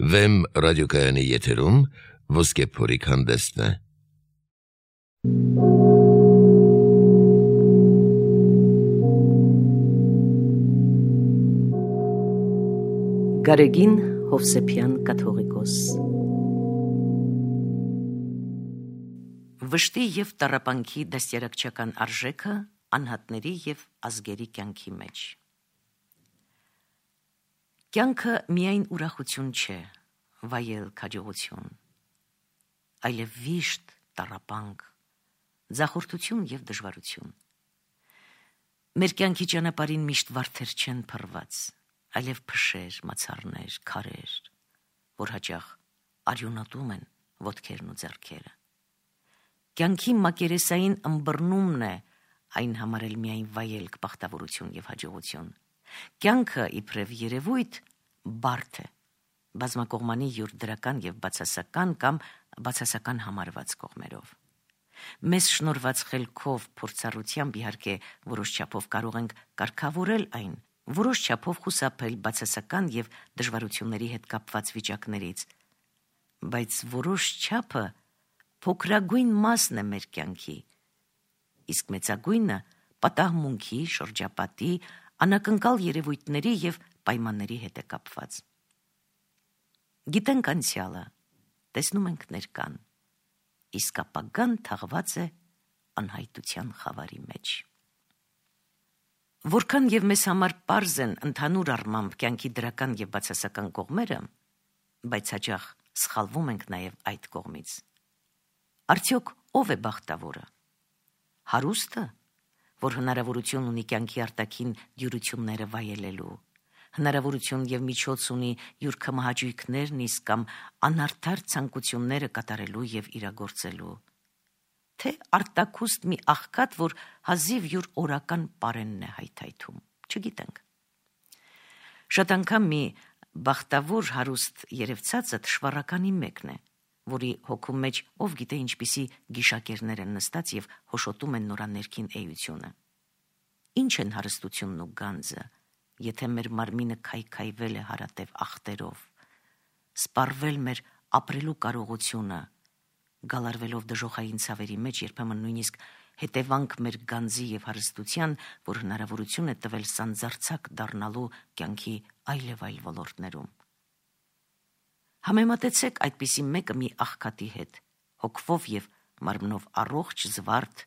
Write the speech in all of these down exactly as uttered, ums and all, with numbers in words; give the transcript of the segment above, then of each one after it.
Վեմ ռադիոկայանի եթերում ոսկե փորիկ հանդեսն է։ Գարեգին Հովսեփյան կաթողիկոս Վշտի և տառապանքի դաստիարակչական արժեքը անհատների և ազգերի կյանքի մեջ։ Կյանքը միայն ուրախություն չէ, վայել քաջողություն, այլև վիշտ, տառապանք, ձախորդություն և դժվարություն։ Մեր կյանքի ճանապարհին միշտ վարդեր չեն փռված, այլև փշեր, մացառներ, քարեր, որ հաճախ արյունատում են ոտքերն ու ձեռքերը։ Կյանքի մակերեսային ըմբռնումն է այն համարել միայն վայելք, բախտավորություն և հաջողություն։ Կյանքը իբրև երևույթ բարդ է, բազմակողմանի յուր դրական և բացասական կամ բացասական համարված կողմերով։ Մեզ շնորհված խելքով, փորձառությամբ իհարկե որոշ չափով կարող ենք կարգավորել այն, որոշ չափով խուսափել բացասական և դժվարությունների հետ կապված վիճակներից, բայց որոշ չափը փոքրագույն մասն է մեր կյանքի, իսկ մեծագույնը պատահմունքի, շրջապատի, անակնկալ երևույթների և պայմանների հետ է կապված։ Գիտենք անցյալը, տեսնում ենք ներկան, իսկ ապագան թաղված է անհայտության խավարի մեջ։ Որքան և մեզ համար պարզ են ընդհանուր առմամբ կյանքի դրական և բացասական կողմերը, բայց հաճախ սխալվում ենք նաև այդ կողմից։ Արդյոք ով է բախտավորը։ Հարուստը, որ հնարավորություն ունի կյանքի արտաքին դյուրությունները վայելելու, հնարավորություն և միջոց ունի յուր քմահաճույքներն իսկ կամ անարդար ցանկությունները կատարելու և իրագործելու, թե արտաքուստ մի աղքատ, որ հազիվ յուր օրական պարենն է հայթայթում, չգիտենք։ Շատ անգամ մի բախտավոր հարուստ երևցածը թշվառականի մեկն է, որի հոգու մեջ ով գիտե ինչպիսի գիշակերներ են նստած և հոշոտում են նրա ներքին էությունը։ Ինչ են հարստությունն ու գանձը, եթե մեր մարմինը քայքայվել է հարատև ախտերով, սպառվել մեր ապրելու կարողությունը, գալարվելով դժոխային ցավերի մեջ, երբեմն նույնիսկ հետևանք մեր գանձի և հարստության, որ հնարավորություն է տվել սանձարձակ դառնալու կյանքի այլև այլ ոլորտներում։ Համեմատեցեք այդպիսի մեկը մի աղքատի հետ, հոգվով և մարմնով առողջ, զվարթ,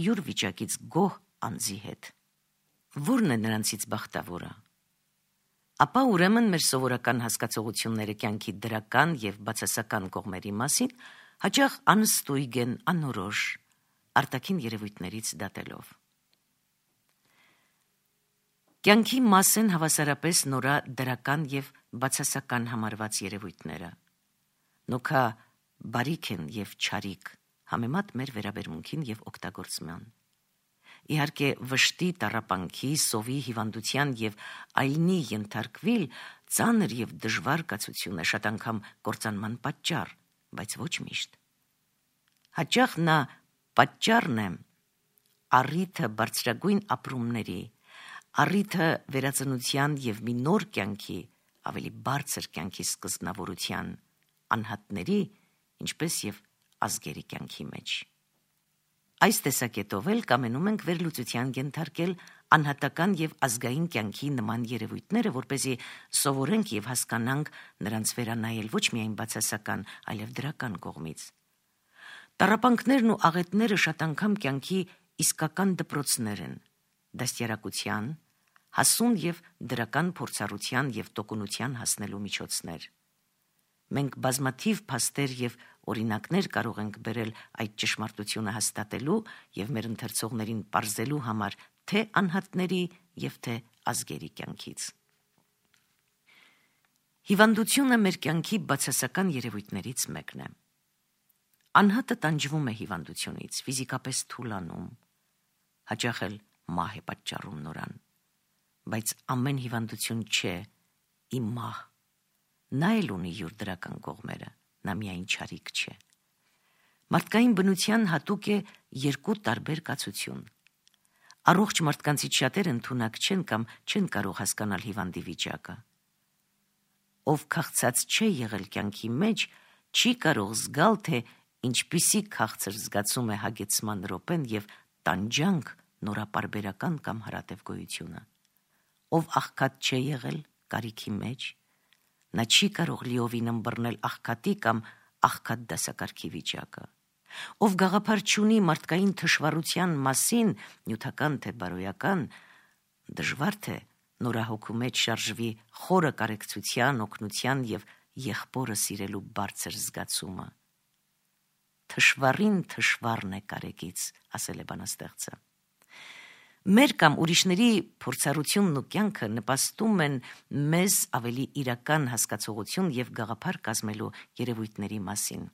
յուր վիճակից գոհ անձի հետ։ Ո՞րն է նրանցից բախտավորը։ Ապա ուրեմն մեր սովորական հասկացողությունները կյանքի դրական և բացասական կողմերի մասին հաճախ անըստույգ են, անորոշ, արտաքին երևույթներից դատելով։ Կյանքի մաս են հավասարապես նորա դրական և բացասական համարված երևույթները։ Նոքա բարիք են և չարիք, համեմատ մեր վերաբերմունքին և օգտագործման։ Իհարկե վշտի, տառապանքի, սովի, հիվանդության և այլնի ենթարկվիլ ծանր և դժվար կացություն է, շատ անգամ կործանման պատճառ, բայց ոչ միշտ։ Հաճախ նա պատճառն է առիթը բարձրագույն ապրումների, առիթը վերածնության և մի նոր կյանքի, ավելի բարձր կյանքի սկզբնավորության, անհատների, ինչպես և ազգերի կյանքի մեջ։ Այս տեսակետով էլ կամենում ենք վերլուծության ենթարկել անհատական և ազգային կյանքի նման երևույթները, որպեսզի սովորենք և հասկանանք նրանց վերանայել ոչ միայն բացասական, այլև դրական կողմից։ Տառապանքներն ու աղետները շատ անգամ կյանքի իսկական դպրոցներ են, դաստիարակության, հասուն և դրական փորձառության և տոկունության հասնելու միջոցներ։ Մենք բազմաթիվ փաստեր և օրինակներ կարող ենք բերել այդ ճշմարտությունը հաստատելու և մեր ընթերցողներին պարզելու համար թե անհատների և թե ազգերի կյանքից։ Հիվանդությունը մեր կյանքի բացասական երևույթներից մեկն է։ Անհատը տանջվում է հիվանդությունից, ֆիզիկապես թուլանում, հաճախ էլ մահ է պատճառում նորան, բայց ամեն հիվանդություն չէ իմ մահ, նա էլ ունի յուր դրական կողմերը, նա միայն չարիք չէ։ Մարդկային բնության հատուկ է երկու տարբեր կացություն։ Առողջ մարդկանցից շատերը ընդունակ չեն կամ չեն կարող հասկանալ հիվանդի վիճակը։ ով քաղցած չէ եղել կյանքի մեջ, չի կարող զգալ, թե ինչպիսի քաղցր զգացում է հագեցման րոպեն եւ տանջանք նորապարբերական կամ հարատև գոյությունը։ Ով աղքատ չէ եղել կարիքի մեջ, նա չի կարող լիովին ըմբռնել աղքատի կամ աղքատ դասակարգի վիճակը։ Ով գաղափար չունի մարդկային թշվառության մասին, նյութական թե բարոյական, դժվար թե նորահոգու մեջ շարժվի խորը կարեկցության, օգնության եւ եղբորը սիրելու բարձր զգացումը։ Թշվառին թշվառն է կարեկից, ասել է բանաստեղծը։ Մեր կամ ուրիշների փորձառությունն ու կյանքը նպաստում են մեզ ավելի իրական հասկացողություն եւ գաղափար կազմելու երևույթների մասին։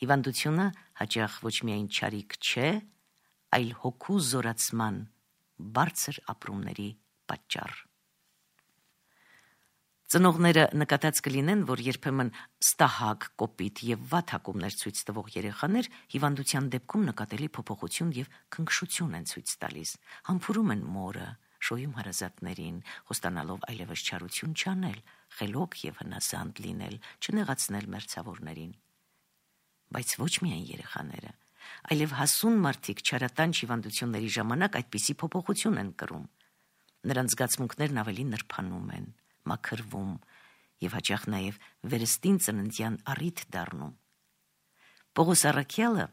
Հիվանդությունը հաճախ ոչ միայն չարիք չէ, այլ հոգու զորացման բարձր ապրումների պատճառ։ Ծնողները նկատած կլինեն, որ երբեմն ստահակ, կոպիտ եւ վատ հակումներ ցույց տվող երեխաներ հիվանդության դեպքում նկատելի փոփոխություն եւ քնքշություն են ցույց տալիս, համբուրում են մորը, շոյում հարազատներին, խոստանալով այլևս չարություն չանել, խելոք եւ հնասանդ լինել, չնեղացնել մերձավորներին։ Բայց ոչ միայն երեխաները, այլև հասուն մարդիկ չարատանչ հիվանդությունների ժամանակ այդպիսի փոփոխություն են կրում։ Նրանց զգացմունքներն ավելի նրբանում են, մաքրվում եւ հաճախ նաեւ վերստին ծննդյան առիթ դառնում։ Պողոս առաքյալը,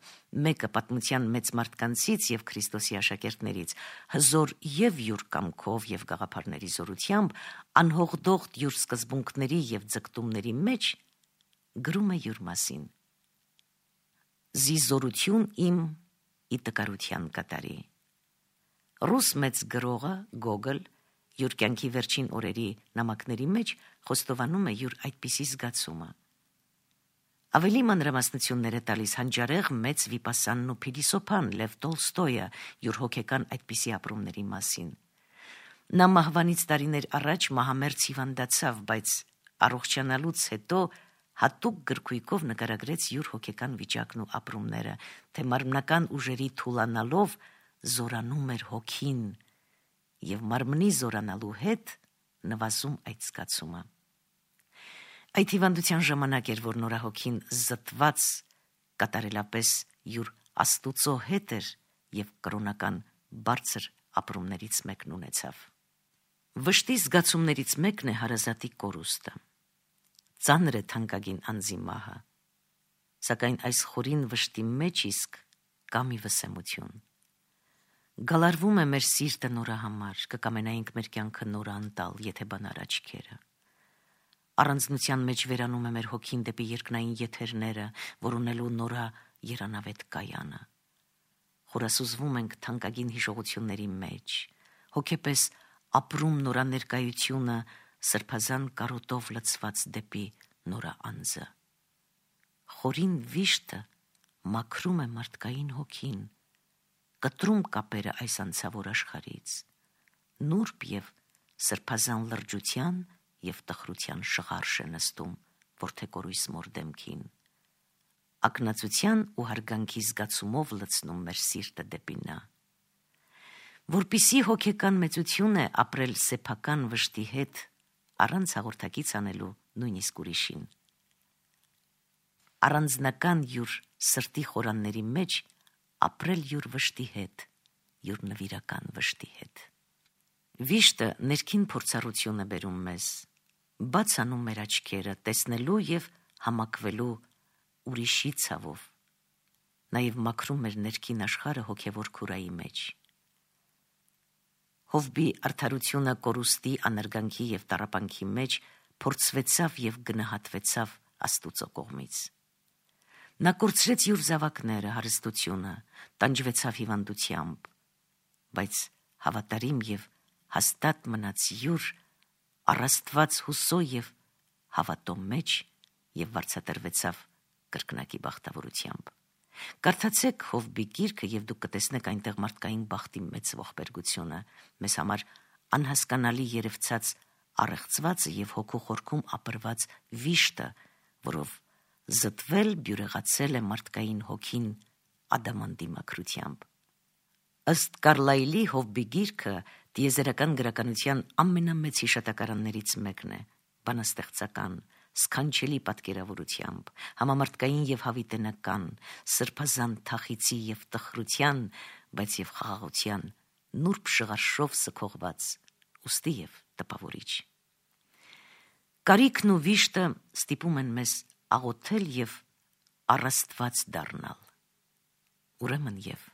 մեկը պատմության մեծ մարդկանցից եւ Քրիստոսի աշակերտներից, հզոր եւ յուր կամքով եւ գաղափարների զորությամբ, անհողդողդ յուր սկզբունքների եւ ձգտումների մեջ գրում է յուր մասին. «Զի զորություն իմ ի տկարության կատարի»։ Ռուս մեծ գրողը Գոգոլ յուր կյանքի վերջին օրերի նամակների մեջ խոստովանում է յուր այդպիսի զգացումը։ Ավելի մանրամասնություններ է տալիս հանճարեղ մեծ վիպասանն ու փիլիսոփան Լև Տոլստոյը յուր հոգեկան այդպիսի ապրումների մասին։ Նա մահվանից տարիներ առաջ մահամերձ հիվանդացավ, բայց առողջանալուց հետո հատուկ գրքույկով նկարագրեց յուր հոգեկան վիճակն ու ապրումները, թե մարմնական ուժերի թուլանալով զորանում էր հոգին եւ մարմնի զորանալու հետ նվազում այդ զգացումը։ Այդ հիվանդության ժամանակ էր, որ նորահոգին զտված կատարելապես յուր Աստուծո հետ էր եւ կրոնական բարձր ապրումներից մեկն ունեցավ։ Վշտի զգացումներից մեկն է հարազատի կորուստը։ Ծանր է թանկագին անձի մահը, սակայն այս խորին վշտի մեջ իսկ կա մի վսեմություն։ Գալարվում է մեր սիրտը նորա համար, կկամենայինք մեր կյանքը նորը անտալ, եթե բանար աչքերը։ Առանձնության մեջ վերանում է մեր հոգին դեպի երկնային եթերները, որ ունելու նորա երանավետ կայանը։ Խորասուզվում ենք թանկագին հիշողությունների մեջ, հոգեպես ապրում նորա ներկայությունը սրբազան կարոտով լցված դեպի նորա անձը։ Խորին վիշտը մաքրում է մարդկային հոգին, կտրում կապերը այս անցավոր աշխարհից, նուրբ եւ սրբազան լրջության եւ տխրության շղարշ է նստում որդեկորույս մոր դեմքին, ակնածության ու հարգանքի զգացումով լցնում մեր սիրտը դեպի նա։ Որպիսի հոգեկան մեծություն է ապրել սեփական վշտի հետ, առանց հաղորդակից անելու նույնիսկ ուրիշին։ Առանձնական յուր սրտի խորանների մեջ ապրել յուր վշտի հետ, յուր նվիրական վշտի հետ։ Վիշտը ներքին փորձառություն է բերում մեզ, բաց անում մեր աչքերը, տեսնելու եւ համակվելու ուրիշի ցավով, նաեւ մաքրում մեր ներքին աշխարհը հոգեվոր քուրայի մեջ։ Հովբի արդարությունը կորուստի, անարգանքի եւ տառապանքի մեջ փորձվեցավ եւ գնահատվեցավ Աստուծո կողմից։ Նա կորցրեց յուր զավակները, հարստությունը, տանջվեցավ հիվանդությամբ, բայց հավատարիմ եւ հաստատ մնաց յուր առաստված հուսո եւ հավատո մեջ եւ վարձատրվեցավ կրկնակի բախտավորությամբ։ Կարդացեք Հովբի գիրքը եւ դուք կտեսնեք այնտեղ մարդկային բախտի մեծ ողբերգությունը, մեզ համար անհասկանալի երևցած առեղծվածը եւ հոգու խորքում ապրված վիշտը, որով զտվել, բյուրեղացել է մարդկային հոգին ադամանդի մաքրությամբ։ Ըստ Կարլայլի Հովբի գիրքը տիեզերական գրականության ամենամեծ հիշատակարաններից մեկն է, բանաստեղծական, սքանչելի պատկերավորությամբ, համամարտկային եւ հավիտենական, սրբազան թախիցի եւ տխրության, բայց եւ խաղաղության, նուրբ շղարշով սքողված, ուստի եւ տպավորիչ։ Կարիքն ու վիշտը ստիպում են մեզ աղոթել եւ առաստված դառնալ, ուրեմն եւ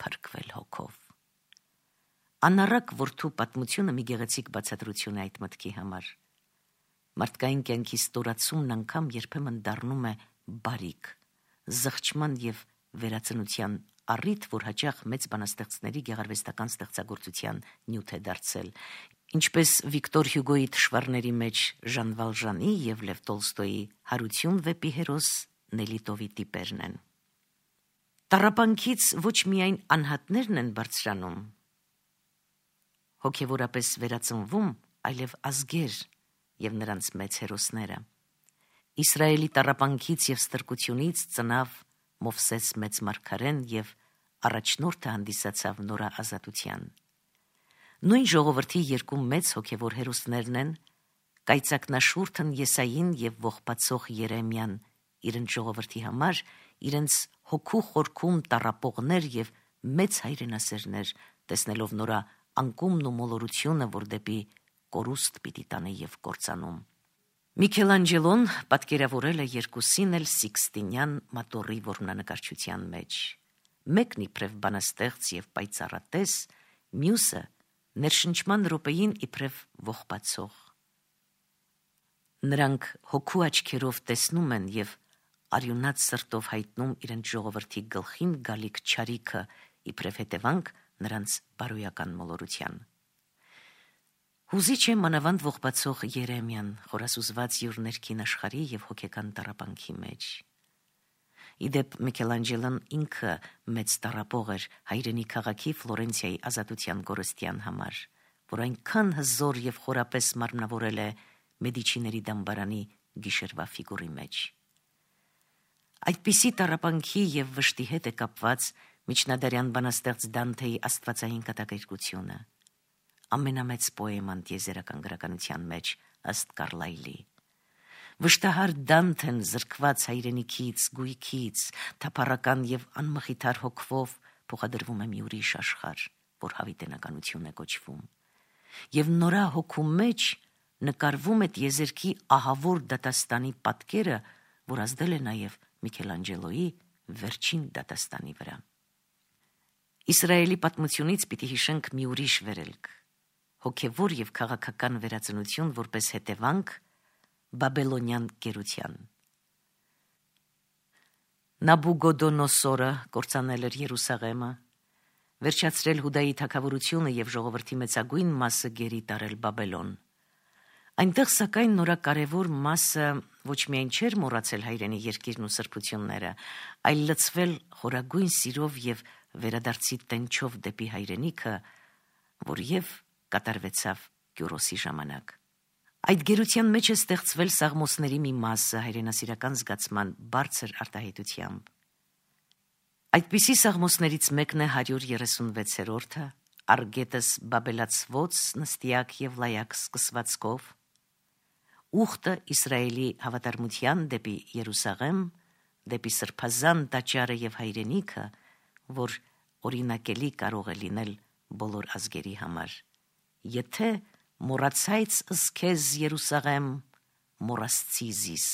փրկվել հոգով։ Անառակ որդու պատմությունը մի գեղեցիկ բացատրություն է այդ մտքի համար։ Մարդկային կյանքի ստորացումն անգամ երբեմն դառնում է բարիք, զղջման եւ վերածնության առիթ, որ հաճախ մեծ բանաստեղծների գեղարվեստական ստեղծագործության նյութ է դարձել, ինչպես Վիկտոր Հյուգոյի թշվառների մեջ Ժան Վալժանի եւ Լև Տոլստոյի հարություն վեպի հերոս Նելիտովի տիպերն են։ Տառապանքից ոչ միայն անհատներն են բարձրանում, հոգևորապես վերածնվում, այլև ազգեր եւ նրանց մեծ հերոսները։ Իսրայելի տառապանքից եւ ստրկությունից ծնավ Մովսես մեծ մարգարեն եւ առաջնորդը հանդիսացավ նորաազատության։ Նույն ժողովրդի երկու մեծ հոգևոր հերոսներն են կայծակնաշուրթն Եսային եւ ողբացող Երեմիան, իրենց ժողովրդի համար իրենց հոգու խորքում տառապողներ եւ մեծ հայրենասերներ, տեսնելով նորա անկումն ու մոլորությունը, որ դեպի կորուստ պիտի տանի եւ կործանում։ Միքելանջելոն պատկերավորել է երկուսին էլ Սիքստինյան մատորի որմնանկարչության մեջ։ Մեկն իբրև բանաստեղծ եւ պայծառատես, մյուսը ներշնչման րոպեին իբրև ողբացող։ Նրանք հոգու աչքերով տեսնում են եւ արյունած սրտով հայտնում իրենց ժողովրդի գլխին գալիք չարիքը իբրև հետևանք նրանց բարոյական մոլորության։ Հուզիչ է մանավանդ ողբացող Երեմիան, խորասուզված յուր ներքին աշխարհի եւ հոգեկան տառապանքի մեջ։ Իդեպ Միքելանջելոն ինքը մեծ տառապող էր հայրենի քաղաքի Ֆլորենցիայի ազատության գորստյան համար, որ այնքան հզոր եւ խորապես մարմնավորել է Մեդիչիների դամբարանի գիշերվա ֆիգուրի մեջ։ Այդպիսի տառապանքի եւ վշտի հետ է կապված միջնադարյան բանաստեղծ Դանթեի աստվածային կատակերգությունը, ամենամեծ պոեման տիեզերական գրականության մեջ ըստ Կարլայլի։ Վշտահար Դանթեն զրկված հայրենիքից, գույքից, թափառական եւ անմխիթար հոգվով փոխադրվում է մի ուրիշ աշխարհ, որ հավիտենականություն է կոչվում։ Եվ նորա հոգու մեջ նկարվում է տիեզերքի ահավոր դատաստանի պատկերը, որ ազդել է նաեւ Միքելանջելոյի վերջին դատաստանի վրա։ Իսրայելի պատմությունից պիտի հիշենք մի ուրիշ վերելք, հոգևոր եւ քաղաքական վերածնություն որպես հետևանք բաբելոնյան գերության։ Նաբուգոդոնոսորը կործանել էր Երուսաղեմը, վերջացրել Հուդայի թագավորությունը եւ ժողովրդի մեծագույն մասը գերի տարել Բաբելոն։ Այնտեղ սակայն նորակարևոր մասը ոչ միայն չէր մոռացել հայրենի երկիրն ու սրբությունները, այլ լցվել խորագույն սիրով եւ վերադարձի տենչով դեպի հայրենիքը, որ եւ կատարվեցավ Կյուրոսի ժամանակ։ Այդ գերության մեջ է ստեղծվել Սաղմոսների մի մասը հայրենասիրական զգացման բարձր արտահայտությամբ։ Այդպիսի Սաղմոսներից մեկն է հարյուր երեսունվեցերորդը, Արգետս բաբելացվոց նստիակ եւ լայակ սկսվածքով, ուխտը Իսրայելի հավատարմության դեպի Երուսաղեմ, դեպի սրբազան տաճարը եւ հայրենիքը, որ օրինակելի կարող է լինել բոլոր ազգերի համար։ Եթե մոռացայց ըսքեզ Երուսաղեմ, մոռացցի զիս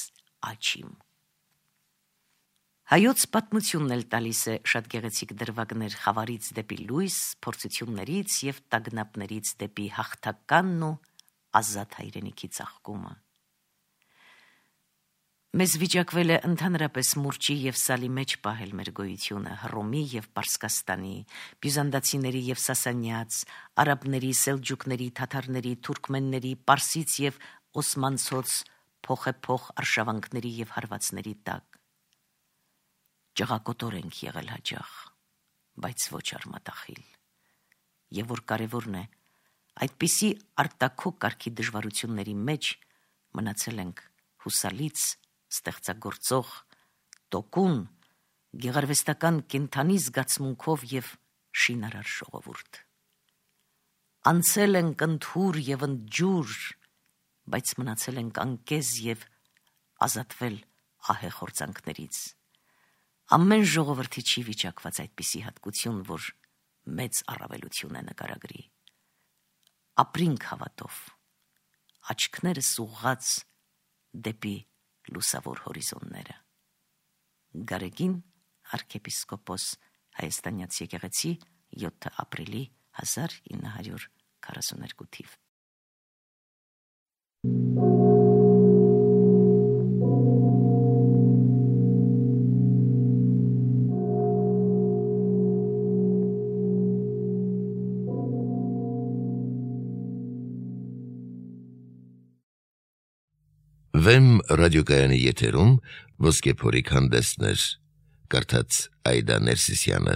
աչիմ։ Հայոց պատմությունն էլ տալիս է շատ գեղեցիկ դրվագներ խավարից դեպի լույս, փորձություններից եւ տագնապներից դեպի հաղթականն ու ազատ հայրենիքի ծաղկումը։ Մեզ վիճակվել է ընդհանրապես մուրճի եւ սալի մեջ պահել մեր գոյությունը, Հռոմի եւ Պարսկաստանի, բյուզանդացիների եւ Սասանյաց, արաբների, սելջուկների, թաթարների, թուրքմենների, պարսից եւ օսմանցոց փոխեփոխ արշավանքների եւ հարվածների տակ։ Ճղակոտոր ենք եղել հաճախ, բայց ոչ արմատախիլ։ Եվ որ կարևորն է, այդպիսի արտաքո կարգի դժվարությունների մեջ մնացել ենք հուսալից ստեղծագործող, տոկուն, գեղարվեստական կենդանի զգացմունքով եւ շինարար ժողովուրդ։ Անցել ենք ընդհուր եւ ընդջուր, բայց մնացել ենք անկեզ և ազատվել ահեղ հորձանքներից։ Ամեն ժողովրդի չի վիճակված այդպիսի հատկություն, որ մեծ առավելություն է նկարագրի։ Ապրինք հավատով, աչքներս ուղղած դեպի լուսավոր հորիզոնները։ Գարեգին arczepiskopos հայաստանյաց եկեղեցի յոթ ապրիլի հազար ինը հարյուր քառասունութ թիվ։ Վեմ ռադիոկայանի եթերում ոսկե փորիկ հանդեսներ, կարդաց Այդա Ներսիսյանը։